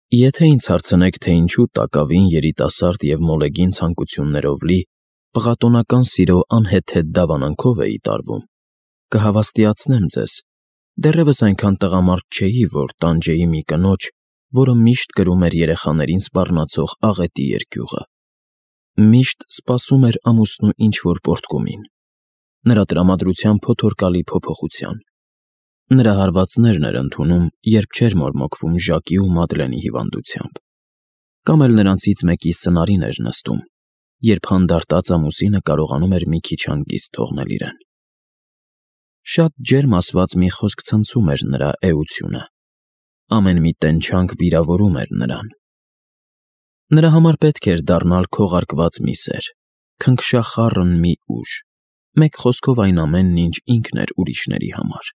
Եթե ինձ հարցնեք, թե ինչու տակավին երիտասարդ և մոլեգին ցանկություններով լի, պղատոնական սիրո անհեթեթ դավանանքով էի տարվում, կհավաստիացնեմ ձեզ. դեռևս այնքան տղամարդ չէի, որ տանջեի մի կնոջ, որը միշտ կրում էր երեխաներին սպառնացող աղետի երկյուղը, միշտ սպասում էր ամուսնու ինչ-որ պոռթկումին, նրա տրամադրության փոթորկալի փոփոխության, նրա հարվածներն էր ընդունում, երբ չէր մորմոքվում Ժակի ու Մադլենի հիվանդությամբ, կամ էլ նրանցից մեկի սնարին էր նստում, երբ հանդարտած ամուսինը կարողանում էր մի քիչ հանգիստ թողնել իրեն։ Շատ ջերմ ասված մի խոսք ցնցում էր նրա էությունը, ամեն մի տենչանք վիրավորում էր նրան։ Նրա համար պետք էր դառնալ քողարկված մի սեր, քնքշախառն մի ուժ, մեկ խոսքով այն ամենն, ինչ ինքն էր ուրիշների համար։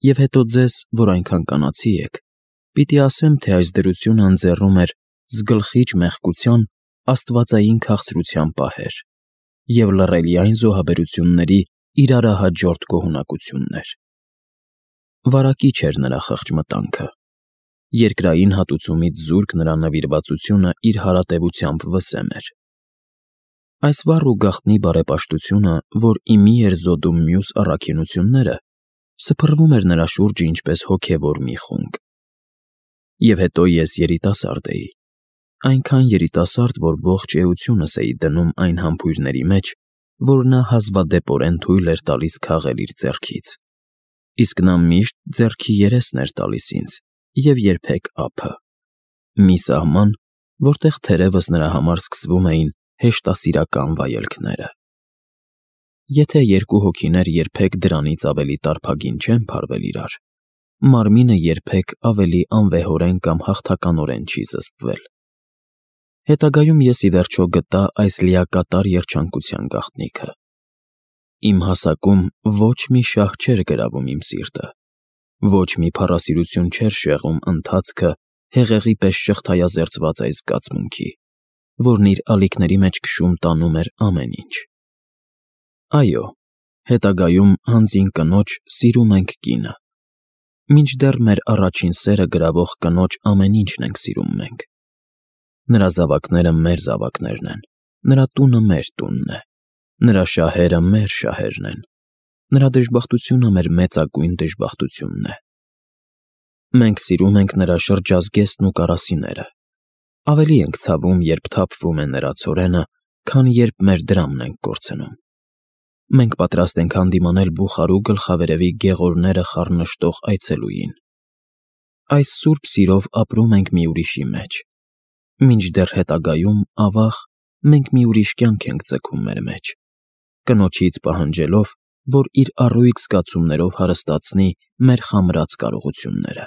Եվ հետո ձեզ, որ այնքան կանացի եք, պիտի ասեմ, թե այս դրությունը ընձեռում էր զգլխիչ մեղքության աստվածային քաղցրության պահեր և լռելիային զոհաբերությունների իրարահաջորդ գոհունակություններ։ Վարակիչ էր նրա խղճ մտանքը, երկրային հատուցումից զուրկ նրա նվիրվածությունը իր հարատևությամբ վսեմ էր։ Այս վառ ու գաղտնի բարեպաշտությունը, որ իմի էր զոդում մյուս առաքինությունները, սփռվում էր նրա շուրջը ինչպես հոգևոր մի խունկ։ Եվ հետո ես երիտասարդ էի, այնքան երիտասարդ, որ ողջ էությունս էի դնում այն համբույրների մեջ, որ նա հազվադեպորեն թույլ էր տալիս քաղել իր ձեռքից, իսկ նա միշտ ձեռքի երեսն էր տալիս ինձ և երբեք ափը, մի սահման, որտեղ թերևս նրա համար սկսվում էին հեշտասիրական վայելքները։ Եթե երկու հոգիներ երբեք դրանից ավելի տարփագին չեն փարվել իրար, մարմինը երբեք ավելի անվեհորեն կամ հաղթականորեն չի զսպվել։ Հետագայում ես ի վերջո գտա այս լիակատար երջանկության գաղտնիքը։ Իմ հասակում ոչ մի շահ չէր գրավում իմ սիրտը, ոչ մի փառասիրություն չէր շեղում ընթացքը հեղեղի պես շղթայազերծված այս զգացմունքի, որն իր ալիքների մեջ քշում տանում էր ամեն ինչ։ Այո, հետագայում հանձին կնոջ սիրում ենք կինը, մինչդեռ մեր առաջին սերը գրավող կնոջ ամեն ինչն ենք սիրում մենք։ Նրա զավակները մեր զավակներն են, նրա տունը մեր տունն է, նրա շահերը մեր շահերն են, նրա դժբախտությունը մեր մեծագույն դժբախտությունն է։ Մենք սիրում ենք նրա շրջազգեստն ու կարասիները, ավելի ենք ցավում, երբ թափվում է նրա ցորենը, քան երբ մեր դրամն ենք կորցնում։ Մենք պատրաստ ենք հանդիմանել Բուխարու գլխավերևի գեղորները խառնշտող այցելուին։ Այս սուրբ սիրով ապրում ենք մի ուրիշի մեջ, մինչդեռ հետագայում, ավաղ, մենք մի ուրիշ կյանք ենք ձգում մեր մեջ, կնոջից պահանջելով, որ իր առույգ զգացումներով հարստացնի մեր խամրած կարողությունները։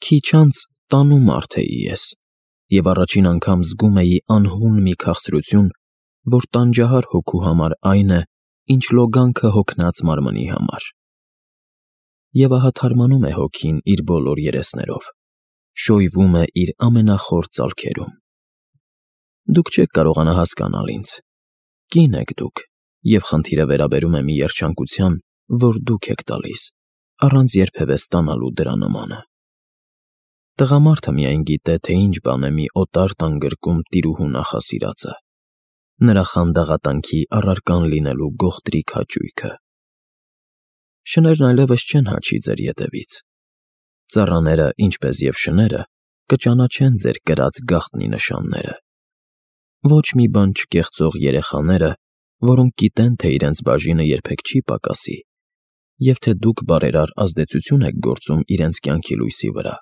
Քիչ անց տանու մարդ էի ես, և առաջին անգամ զգում էի անհուն մի քաղցրություն, որ տանջահար հոգու համար այն է, ինչ լոգանքը հոգնած մարմնի համար։ Եվ ահա թարմանում է հոգին իր բոլոր երեսներով, շոյվում է իր ամենախոր ծալքերում։ Դուք չեք կարողանա հասկանալ ինձ, կին եք դուք, և խնդիրը վերաբերում է մի երջանկության, որ դուք եք տալիս, առանց երբևէ ստանալու դրա նմանը։ Տղամարդը միայն գիտե, թե ինչ բան է մի օտար տան գրկում տիրուհու նախասիրածը, նրա խանդաղատանքի առարկան լինելու գողտրիկ հաճույքը։ Շներն այլևս չեն հաչի ձեր ետևից։ Ծառաները, ինչպես և շները, կճանաչեն ձեր կրած գաղտնի նշանները։ Ոչ մի բան չկեղծող երեխաները, որոնք գիտեն, թե իրենց բաժինը երբեք չի պակասի, և թե դուք բարերար ազդեցություն եք գործում իրենց կյանքի լույսի վրա,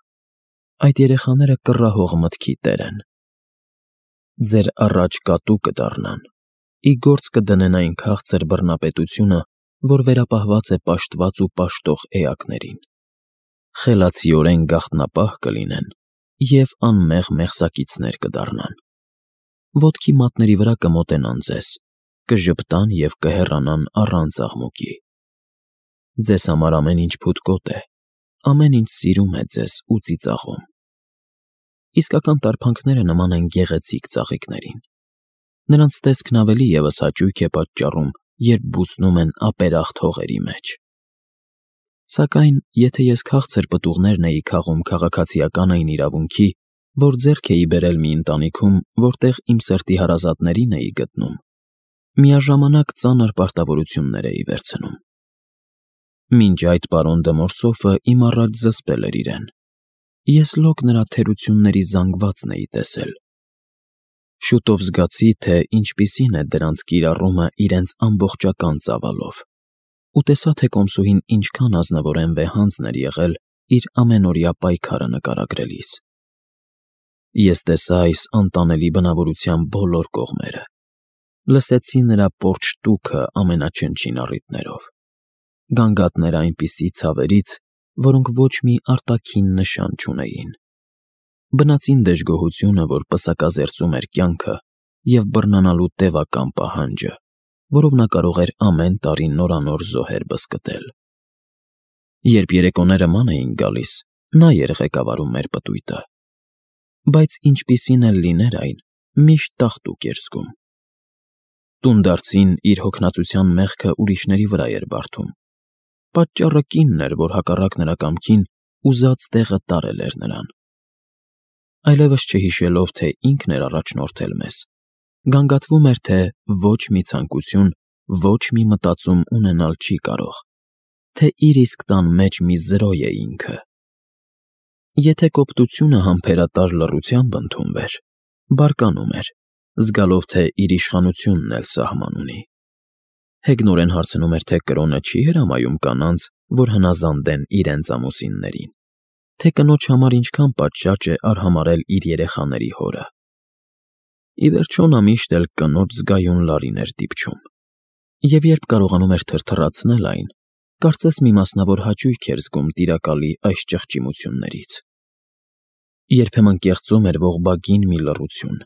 այդ երեխաները կռահող մտքի տեր են։ Ձեր առաջ կատու կդառնան, ի գործ կդնեն այն քաղցր բռնապետությունը, որ վերապահված է պաշտված ու պաշտող էակներին, խելացիորեն գաղտնապահ կլինեն և անմեղ մեղսակիցներ կդառնան։ Ոտքի մատների վրա կմոտենան ձեզ, կժպտան և կհեռանան առանց աղմուկի։ Ձեզ համար ամեն ինչ փութկոտ է, ամեն ինչ սիրում է ձեզ ու ծիծաղում։ Իսկական տարփանքները նման են գեղեցիկ ծաղիկներին։ Նրանց տեսքն ավելի ևս հաճույք է պատճառում, երբ բուսնում են ապերախտ հողերի մեջ։ Սակայն, եթե ես քաղցր պտուղներն էի քաղում քաղաքացիական այն իրավունքի, որ ձեռք էի բերել մի ընտանիքում, որտեղ իմ սրտի հարազատներին էի գտնում, միաժամանակ ծանր պարտավորություններ էի վերցնում։ Մինչ այդ պարոն դը Մորսոֆը իմ առաջ զսպել էր իրեն։ Ես լոկ նրա թերությունների զանգվածն էի տեսել։ Շուտով զգացի, թե ինչպիսին է դրանց կիրառումը իրենց ամբողջական ծավալով, ու տեսա, թե կոմսուհին ինչքան ազնվորեն վեհանձն էր եղել իր ամենօրյա պայքարը նկարագրելիս։ Ես տեսա այս անտանելի բնավորության բոլոր կողմերը, լսեցի նրա պորճ տուքը ամենաչնչին առիթներով, գանգատներ այնպիսի ցավերից, որոնք ոչ մի արտաքին նշան չունեին, բնածին դժգոհությունը, որ պսակազերծում էր կյանքը, և բռնանալու տևական պահանջը, որով նա կարող էր ամեն տարի նորանոր զոհեր բզկտել։ Երբ երեկոները ման էին գալիս, նա էր ղեկավարում մեր պտույտը, բայց ինչպիսին էլ լիներ այն, միշտ տաղտուկ էր զգում։ Տունդարձին իր հոգնածության մեղքը ուրիշների վրա էր բարդում։ Պատճառը կինն էր, որ հակառակ նրա կամքին ուզած տեղը տարել էր նրան։ Այլևս չհիշելով, թե ինքն էր առաջնորդել մեզ, գանգատվում էր, թե ոչ մի ցանկություն, ոչ մի մտածում ունենալ չի կարող, թե իր իսկ տան մեջ մի զրոյ է ինքը։ Եթե կոպտությունը համբերատար լռությամբ ընդունվեր, բարկանում էր, զգալով, թե իր իշխանությունն էլ սահման ունի։ Հեգնորեն հարցնում էր, թե կրոնը չի հրամայում կանանց, որ հնազանդեն իրենց ամուսիններին, թե կնոջ համար ինչքան պատշաճ է արհամարհել իր երեխաների հորը։ Ի վերջո նա միշտ էլ կնոջ զգայուն լարին էր դիպչում, և երբ կարողանում էր թրթռացնել այն, կարծես մի մասնավոր հաճույք էր զգում տիրակալի այս ճղճիմություններից։ Երբեմն կեղծում էր ողբագին մի լռություն,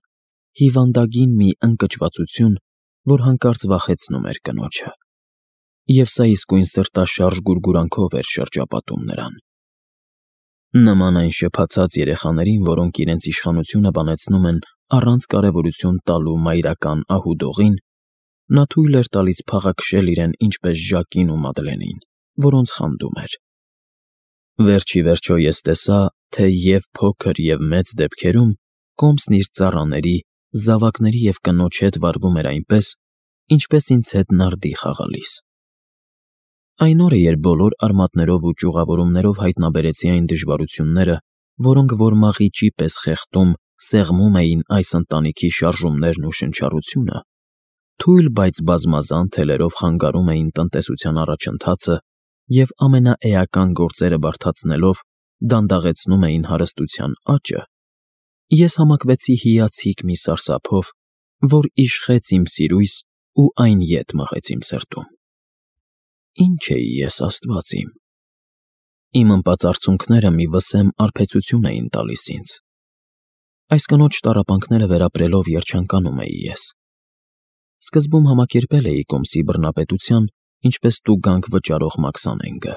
հիվանդագին մի ընկճվածություն, որ հանկարծ վախեցնում էր կնոջը, և սա իսկույն սրտաշարժ գուրգուրանքով էր շրջապատում նրան։ Նման այն շփացած երեխաներին, որոնք իրենց իշխանությունը բանեցնում են առանց կարևորություն տալու մայրական ահուդողին, նա թույլ էր տալիս փաղաքշել իրեն ինչպես Ժակին ու Մադլենին, որոնց խանդում էր։ Վերջ ի վերջո ես տեսա, թե և փոքր և մեծ դեպքերում կոմսն իր ծառաների, զավակների և կնոջ հետ վարվում էր այնպես, ինչպես ինձ հետ նարդի խաղալիս։ Այն օրը, երբ բոլոր արմատներով ու ճյուղավորումներով հայտնաբերեցի այն դժվարությունները, որոնք որ մաղիճի պես խեղդում, սեղմում էին այս ընտանիքի շարժումներն ու շնչառությունը, թույլ, բայց բազմազան թելերով խանգարում էին տնտեսության առաջընթացը և ամենաէական գործերը բարդացնելով դանդաղեցնում էին հարստության աճը, ես համակվեցի հիացիկ մի սարսափով, որ իշխեց իմ սիրույս ու այն ետ մղեց իմ սրտում։ Ինչ էի ես, Աստված իմ։ Իմ ըմպած արցունքները մի վսեմ արբեցություն էին տալիս ինձ։ Այս կնոջ տառապանքները վերապրելով երջանկանում էի ես։ Սկզբում համակերպել էի կոմսի բռնապետության, ինչպես տուգանք վճարող Մաքսանենգը,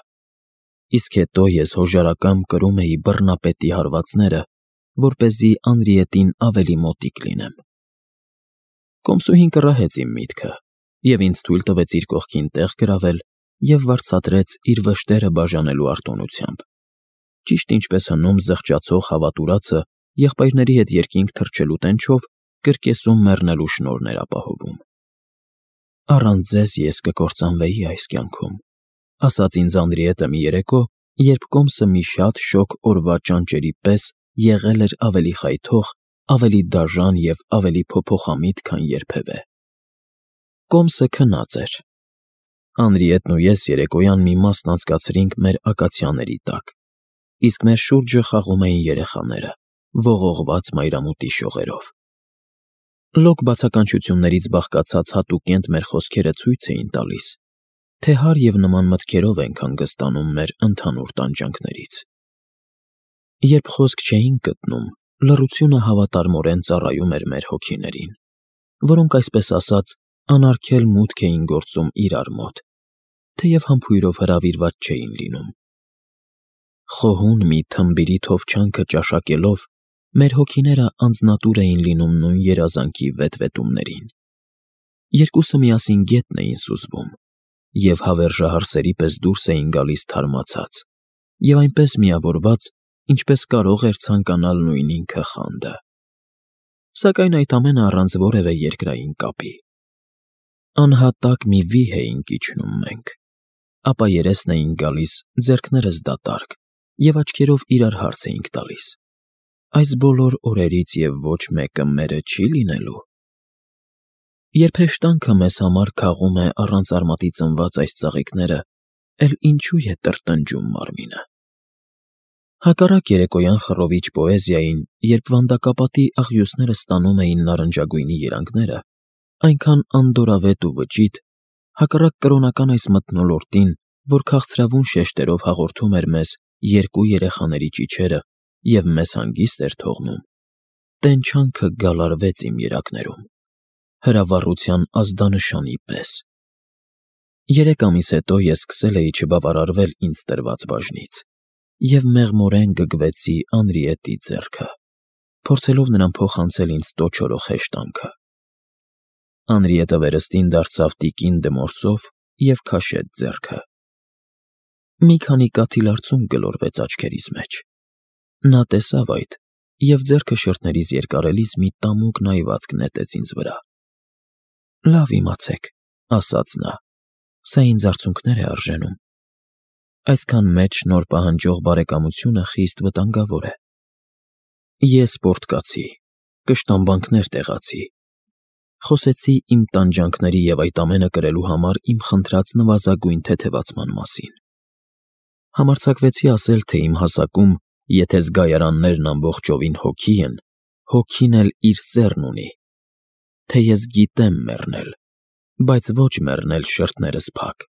իսկ հետո ես հոժարակամ կրում էի բռնապետի հարվածները, որպեսզի Անրիետին ավելի մոտիկ լինեմ։ Կոմսուհին կռահեց իմ միտքը և ինձ թույլ տվեց իր կողքին տեղ գրավել և վարձատրեց իր վշտերը բաժանելու արտոնությամբ, ճիշտ ինչպես հնում զղջացող հավատուրացը եղբայրների հետ երկինք թռչելու տենչով կրկեսում մեռնելու շնորհներ ապահովում։ Առանց ձեզ ես կկործանվեի այս կյանքում, ասաց ինձ Անրիետը մի երեկո, երբ կոմսը մի շատ շոգ օրվա ճանճերի պես եղել էր ավելի խայթող, ավելի դաժան և ավելի փոփոխամիտ, քան երբևէ։ Կոմսը քնած էր։ Անրիետն ու ես երեկոյան մի մասն անցկացրինք մեր ակացիաների տակ, իսկ մեր շուրջը խաղում էին երեխաները, ողողված մայրամուտի շողերով։ Լոկ բացականչություններից բաղկացած հատուկենտ մեր խոսքերը ցույց էին տալիս, թե հար և նման մտքերով ենք հանգստանում մեր ընդհանուր տանջանքներից։ Երբ խոսք չէինք գտնում, լռությունը հավատարմորեն ծառայում էր մեր հոգիներին, որոնք, այսպես ասած, անարգել մուտք էին գործում իրար մոտ, թեև համբույրով հրավիրված չէին լինում։ Խոհուն մի թմբիրի թովչանքը ճաշակելով, մեր հոգիները անձնատուր էին լինում նույն երազանքի վետվետումներին։ Երկուսը միասին գետն էին սուզվում, և հավերժահարսերի պես դուրս էին գալիս թարմացած, և այնպես միավորված, ինչպես կարող էր ցանկանալ նույն ինքը խանդը։ Սակայն այդ ամենը առանց որևէ երկրային կապի։ Անհատակ մի վիհ էինք իջնում մենք, ապա երեսն էին գալիս, ձեռքներս դատարկ, և աչքերով իրար հարց էինք տալիս. այս բոլոր օրերից և ոչ մեկը մերը չի՞ լինելու։ Երբ հեշտանքը մեզ համար քաղում է առանց արմատի ծնված այս ծաղիկները, էլ ինչու է տրտնջում մարմինը։ Հակառակ երեկոյան խռովիչ պոեզիային, երբ վանդակապատի աղյուսները ստանում էին նարնջագույնի երանգները, այնքան անդորավետ ու վճիտ, հակառակ կրոնական այս մթնոլորտին, որ քաղցրավուն շեշտերով հաղորդում էր մեզ երկու երեխաների ճիչերը և մեզ հանգիստ էր թողնում, տենչանքը գալարվեց իմ երակներում, հրավառության ազդանշանի պես։ 3 ամիս հետո ես սկսել էի չբավարարվել ինձ տրված բաժնից և մեղմորեն գգվեցի Անրիետի ձեռքը, փորձելով նրան փոխանցել ինձ տոչորող հեշտանքը։ Անրիետը վերստին դարձավ տիկին դմորսով և քաշեց ձեռքը։ Մի քանի կաթիլարցունք գլորվեց աչքերիս մեջ։ Նա տեսավ այդ և ձեռքը շրթներիս երկարելիս մի տամուկ նայվածք նետեց ինձ վրա։ «Լավ իմացեք», ասաց նա, «սա ինձ արցունքներ է արժենում։ Այսքան մեծ շնորհ պահանջող բարեկամությունը խիստ վտանգավոր է։ Ես պորտկացի, կշտամբանքներ տեղացի, խոսեցի իմ տանջանքների և այդ ամենը կրելու համար իմ խնդրած նվազագույն թեթևացման մասին։ Համարձակվեցի ասել, թե իմ հասակում, եթե զգայարաններն ամբողջովին հոգի են, հոգին էլ իր սեռն ունի, թե ես գիտեմ մեռնել, բայց ոչ մեռնել շրթներս փակ։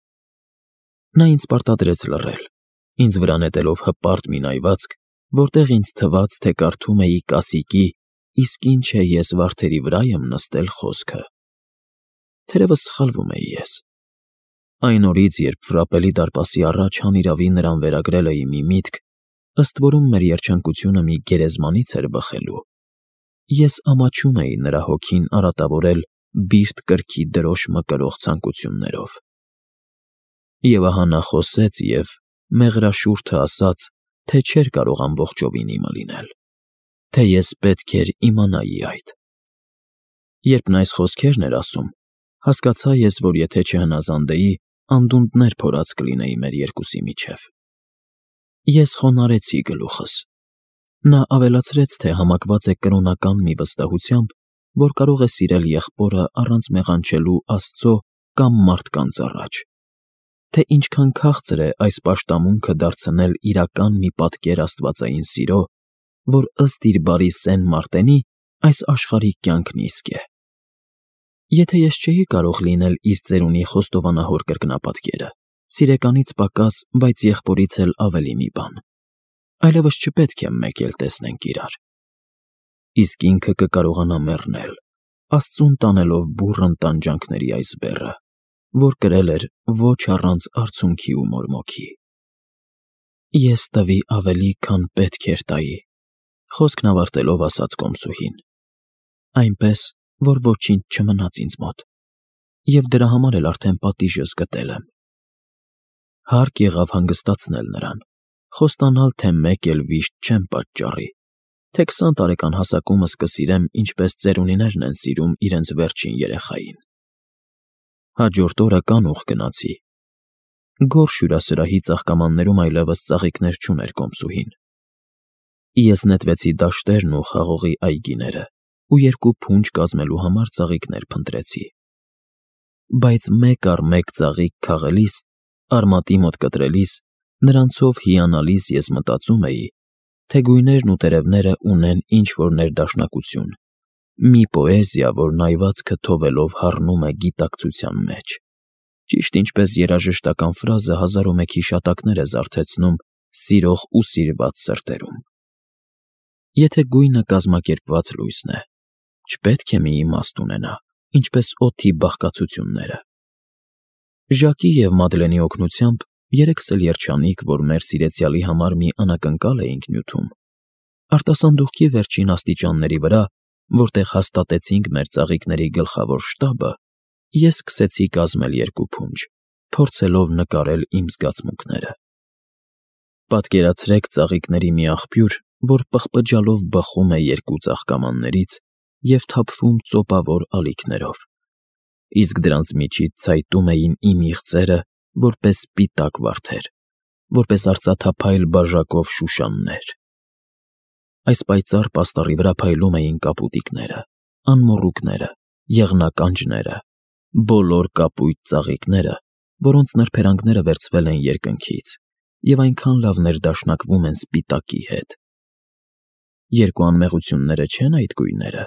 Նա ինձ պարտադրեց լռել, ինձ վրա նետելով հպարտ մի նայվածք, որտեղ ինձ թվաց, թե կարդում էի կասիկի «Իսկ ինչ է ես վարդերի վրա եմ նստել» խոսքը։ Թերևս սխալվում էի ես։ Այն օրից, երբ Ֆրապելի դարպասի առաջ հանիրավի նրան վերագրել էի մի միտք, ըստ որում մեր երջանկությունը մի գերեզմանից էր բխելու, ես ամաչում էի նրա հոգին արատավորել բիրտ կրքի դրոշ մկրող ցանկություններով։ Եվ ահա նա խոսեց և, մեղրաշուրթը ասաց, թե չէր կարող ամբողջովին իմը լինել, թե ես պետք էր իմանայի այդ։ Երբ նա այս խոսքերն էր ասում, հասկացա ես, որ եթե չհնազանդեի, անդունդներ փորած կլինեի մեր երկուսի միջև։ Ես խոնարհեցի գլուխս։ Նա ավելացրեց, թե համակված է կրոնական մի վստահությամբ, որ կարող է սիրել եղբորը առանց մեղանչելու Աստծո կամ մարդկանց առաջ, թե ինչքան քաղցր է այս պաշտամունքը դարձնել իրական մի պատկեր աստվածային սիրո, որ ըստ իր բարի սեն մարտենի այս աշխարհիկ կյանքն իսկ է։ Եթե ես չէի կարող լինել իր ծերունի խոստովանահոր կրկնապատկերը, սիրեկանից պակաս, բայց եղբորից էլ ավելի մի բան, այլևս չպետք է մեկ էլ տեսնենք իրար։ Իսկ ինքը կկարողանա մեռնել, Աստծուն տանելով բուռն տանջանքների այս բեռը, որ կրել էր ոչ առանց արցունքի ու մորմոքի։ Ես տվի ավելի, քան պետք էր տայի, խոսքն ավարտելով ասաց կոմսուհին, այնպես, որ ոչինչ չմնաց ինձ մոտ, և դրա համար էլ արդեն պատիժս գտել եմ։ Հարկ եղավ հանգստացնել նրան, խոստանալ, թե մեկ էլ վիշտ չեմ պատճառի, թե 20 տարեկան հասակումս կսիրեմ, ինչպես ծերունիներն են սիրում իրենց վերջին երեխային։ Հաջորդ օրը կանուխ գնացի։ Գորշ հյուրասրահի ծաղկամաններում այլևս ծաղիկներ չուներ կոմսուհին։ Ես նետվեցի դաշտերն ու խաղողի այգիները ու 2 փունջ կազմելու համար ծաղիկներ փնտրեցի։ Բայց մեկ առ մեկ ծաղիկ քաղելիս, արմատի մոտ կտրելիս, նրանցով հիանալիս ես մտածում էի, թե գույներն ու տերևները ունեն ինչ-որ ներդաշնակություն, մի պոեզիա, որ նայվածքը թովելով հառնում է գիտակցության մեջ, ճիշտ ինչպես երաժշտական ֆրազը 1001 հիշատակներ է զարթեցնում սիրող ու սիրված սրտերում։ Եթե գույնը կազմակերպված լույսն է, չպետք է մի իմաստ ունենա, ինչպես օդի բաղկացությունները։ Ժակի և Մադլենի օգնությամբ երեքս էլ երջանիկ, որ մեր սիրեցյալի համար մի անակնկալ էինք նյութում, արտասանդուղքի վերջին աստիճանների վրա, որտեղ հաստատեցինք մեր ծաղիկների գլխավոր շտաբը, ես սկսեցի կազմել 2 փունջ, փորձելով նկարել իմ զգացմունքները։ Պատկերացրեք ծաղիկների մի աղբյուր, որ պղպջալով բխում է երկու ծաղկամաններից և թափվում ծոպավոր ալիքներով, իսկ դրանց միջից ցայտում էին իմ իղձերը որպես սպիտակ վարդեր, որպես արծաթափայլ բաժակով շուշաններ։ Այս պայծառ պաստառի վրա փայլում էին կապուտիկները, անմոռուկները, եղնականջները, բոլոր կապույտ ծաղիկները, որոնց նրբերանգները վերցվել են երկնքից և այնքան լավ ներդաշնակվում են սպիտակի հետ։ Երկու անմեղությունները չե՞ն այդ գույները։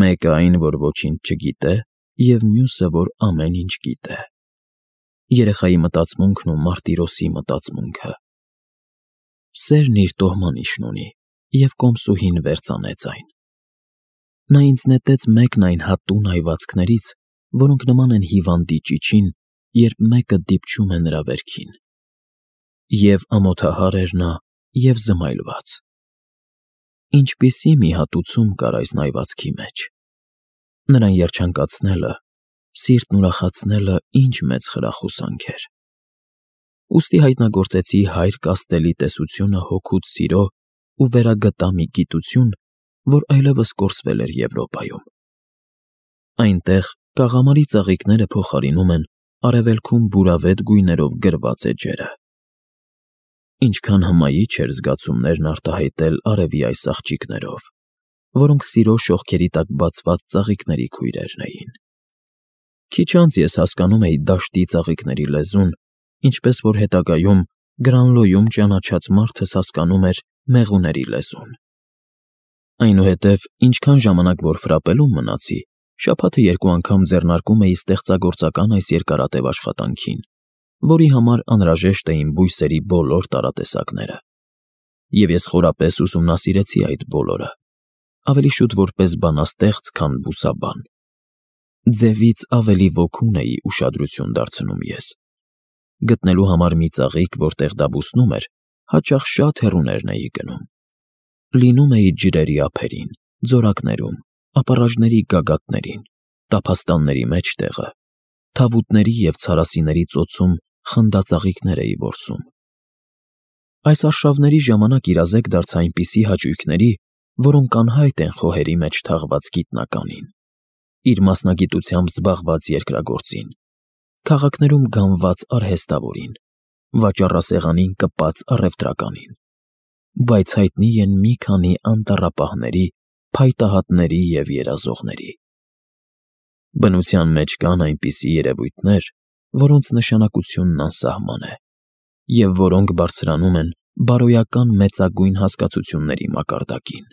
Մեկը այն, որ ոչինչ չգիտե, և մյուսը, որ ամեն ինչ գիտե։ Երեխայի մտածմունքն ու մարտիրոսի մտածմունքը։ Սերն իր տոհմանիշն ունի, և կոմսուհին վերծանեց այն։ Նա ինձ նետեց մեկն այն հատուն այվածքներից, որոնք նման են հիվանդի ճիչին, երբ մեկը դիպչում է նրա վերքին։ Եվ ամոթահար էր նա, և զմայլված։ Ինչպիսի մի հատուցում կար այս այվածքի մեջ։ Նրան երջանկացնելը, սիրտն ուրախացնելը ինչ մեծ խրախուսանք էր։ Ուստի հայտնագործեցի հայր կաստելի տեսությունը հոգուց սիրո ու վերագտա մի գիտություն, որ այլևս կորսվել էր Եվրոպայում։ Այնտեղ կաղամարի ծաղիկները փոխարինում են արևելքում բուրավետ գույներով գրված էջերը։ Ինչքան հմայիչ էր զգացումներն արտահայտել արևի այս աղջիկներով, որոնք սիրո շողքերի տակ բացված ծաղիկների քույրերն էին։ Քիչ անց ես հասկանում էի դաշտի ծաղիկների լեզուն, ինչպես որ հետագայում Գրանլոյում ճանաչած մարդս հասկանում էր մեղուների լեզուն։ Այնուհետև, ինչքան ժամանակ որ ֆրապելում մնացի, շաբաթը երկու անգամ ձեռնարկում էի ստեղծագործական այս երկարատև աշխատանքին, որի համար անհրաժեշտ էին բույսերի բոլոր տարատեսակները։ Եվ ես խորապես ուսումնասիրեցի այդ բոլորը, ավելի շուտ որպես բանաստեղծ, քան բուսաբան։ Ձևից ավելի ոգուն էի ուշադրություն դարձնում ես։ Գտնելու համար մի ծաղիկ, որտեղ դա բուսնում էր, հաճախ շատ հեռուներն էի գնում։ Լինում էի ջրերի ափերին, ձորակներում, ապառաժների գագաթներին, տափաստանների մեջտեղը, թավուտների և ցարասիների ծոցում խնդածաղիկներ էի որսում։ Այս արշավների ժամանակ իրազեկ դարձա այնպիսի հաճույքների, որոնք անհայտ են խոհերի մեջ թաղված գիտնականին, իր մասնագիտությամբ զբաղված երկրագործին, քաղաքներում գանված արհեստավորին, վաճառասեղանին կպած առևտրականին, բայց հայտնի են մի քանի անտառապահների, փայտահատների և երազողների։ Բնության մեջ կան այնպիսի երևույթներ, որոնց նշանակությունն անսահման է, և որոնք բարձրանում են բարոյական մեծագույն հասկացությունների մակարդակին։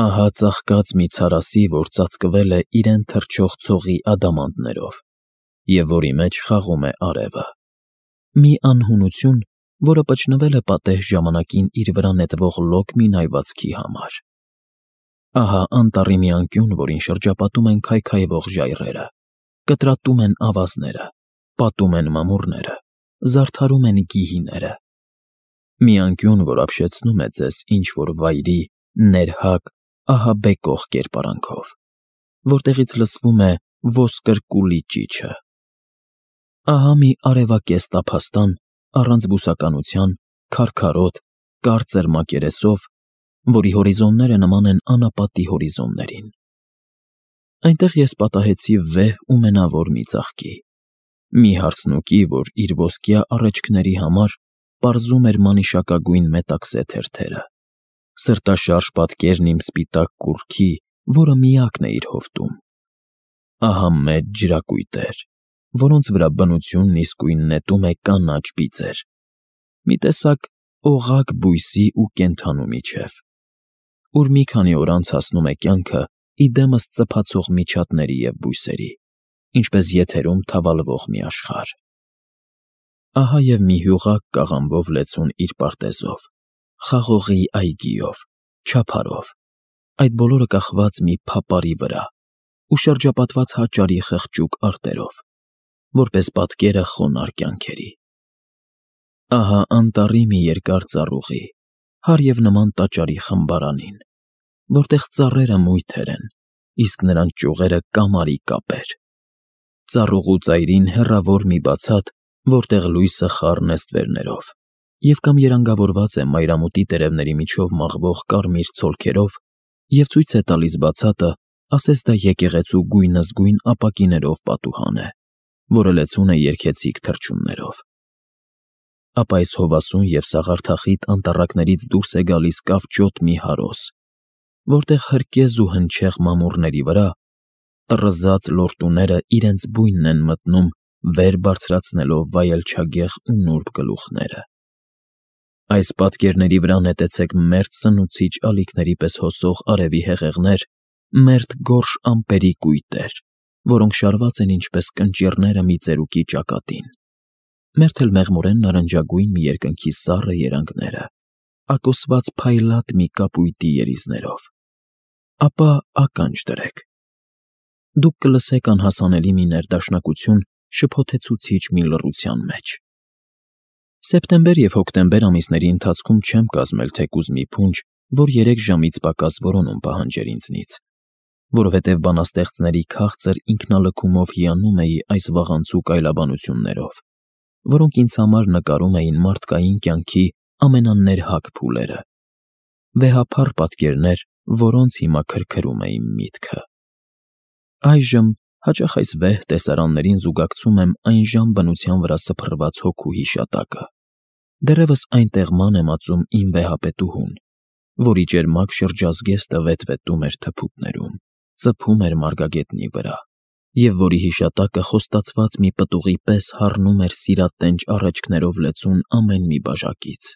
Ահա ծաղկած մի ցարասի, որ ծածկվել է իրեն թռչող ցողի ադամանդներով, և որի մեջ խաղում է արևը։ Մի անհունություն, որը պճնվել է պատեհ ժամանակին իր վրա նետվող լոկ մի նայվածքի համար։ Ահա անտառի մի անկյուն, որին շրջապատում են քայքայվող ժայռերը, կտրատում են ավազները, պատում են մամուռները, զարդարում են գիհիները։ Մի անկյուն, որ ապշեցնում է ձեզ ինչ-որ վայրի, ներհակ, ահաբեկող կերպարանքով, որտեղից լսվում է ոսկրկուլի ճիչը։ Ահա մի արևակեզ տափաստան, առանց բուսականության, քարքարոտ, կարծր մակերեսով, որի հորիզոնները նման են անապատի հորիզոններին։ Այնտեղ ես պատահեցի վեհ ու մենավոր մի ծաղկի, մի հարսնուկի, որ իր ոսկյա առէջքների համար պարզում էր մանիշակագույն մետաքսե թերթերը, սրտաշարժ պատկերն իմ սպիտակ կուռքի, որը միակն է իր հովտում։ Ահա մեծ ջրակույտեր, որոնց վրա բնությունն իսկույն նետում է կանաչ բիծեր, մի տեսակ օղակ բույսի ու կենդանու միջև, ուր մի քանի օր անց հասնում է կյանքը իդեմս ծփացող միջատների և բույսերի, ինչպես եթերում թավալվող մի աշխարհ։ Ահա և մի հյուղակ կաղամբով լեցուն իր պարտեզով, խաղողի այգիով, չափարով, այդ բոլորը կախված մի փապարի վրա ու շրջապատված հաճարի խղճուկ արտերով, որպես պատկերը խոնարհ կյանքերի։ Ահա անտառի մի երկար ծառուղի, հարև նման տաճարի խմբարանին, որտեղ ծառերը մույթեր են, իսկ նրանց ճյուղերը կամարի կապեր։ ծառուղու ծայրին հեռավոր մի բացատ, որտեղ լույսը խառն է ստվերներով, և կամ երանգավորված է մայրամուտի տերևների միջով մաղվող կարմիր ցոլքերով, և ցույց է տալիս բացատը, ասես դա եկեղեցու գույնզգույն ապակիներով պատուհան է, որը լեցուն է երգեցիկ թռչուններով։ Ապա այս հովասուն և սաղարթախիտ անտառակներից դուրս է գալիս կավճոտ մի հարոս, որտեղ հրկեզ ու հնչեղ մամուռների վրա տռզած լորտուները իրենց բույնն են մտնում, վեր բարձրացնելով վայելչագեղ ու նուրբ գլուխները։ Այս պատկերների վրա նետեցեք մերթ սնուցիչ ալիքների պես հոսող արևի հեղեղներ, մերթ գորշ ամպերի կույտեր, որոնք շարված են ինչպես կնճիռները մի ծերուկի ճակատին, մերթ էլ մեղմորեն նարնջագույն մի երկնքի սառը երանգները, ակոսված փայլատ մի կապույտի երիզներով։ Ապա ականջ դրեք. դուք կլսեք անհասանելի մի ներդաշնակություն շփոթեցուցիչ մի լռության մեջ։ Սեպտեմբեր և հոկտեմբեր ամիսների ընթացքում չեմ կազմել թեկուզ մի փունջ, որ 3 ժամից պակաս որոնում պահանջեր ինձնից, որովհետև բանաստեղծների քաղցր ինքնալքումով հիանում էի այս վաղանցուկ այլաբանություններով, որոնք ինձ համար նկարում էին մարդկային կյանքի ամենաներհակ փուլերը, վեհափառ պատկերներ, որոնց հիմա քրքրում էին միտքը։ Այժմ հաճախ այս վեհ տեսարաններին զուգակցում եմ այն ժամ բնության վրա սփռված հոգու հիշատակը։ Դեռևս այնտեղ ման է մածում իմ վեհապետուհուն, որի ճերմակ շրջազգեստը վետվետում էր թփուտներում, ծփում էր մարգագետնի վրա, և որի հիշատակը խոստացված մի պտուղի պես հառնում էր սիրատենչ առէջքներով լեցուն ամեն մի բաժակից։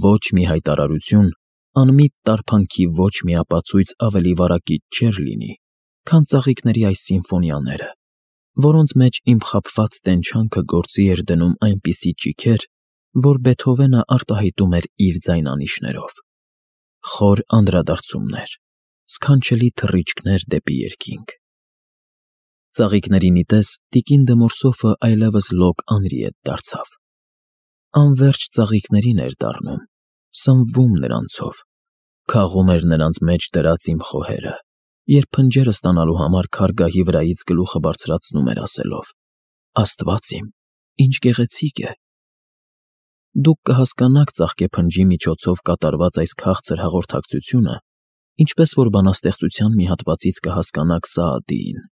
Ոչ մի հայտարարություն, անմիտ տարփանքի ոչ մի ապացույց ավելի վարակիչ չէր լինի, քան ծաղիկների այս սիմֆոնիաները, որոնց մեջ իմ խաբված տենչանքը գործի էր դնում այնպիսի ճիգեր, որ Բեթհովենը արտահայտում էր իր ձայնանիշներով։ Խոր անդրադարձումներ, սքանչելի թռիչքներ դեպի երկինք։ Ծաղիկների նիտես տիկին դե Մորսոֆը այլևս լոկ Անրիետ դարձավ։ Անվերջ ծաղիկներին էր դառնում, սնվում նրանցով, քաղում էր նրանց մեջ դրած իմ խոհերը, երբ փնջերը ստանալու համար քարգահի վրայից գլուխը բարձրացնում էր ասելով. «Աստված իմ, ինչ գեղեցիկ է»։ Դուք կհասկանաք ծաղկեփնջի միջոցով կատարված այս քաղցր հաղորդակցությունը, ինչպես որ բանաստեղծության մի հատվածից կհասկանաք Սաադիին։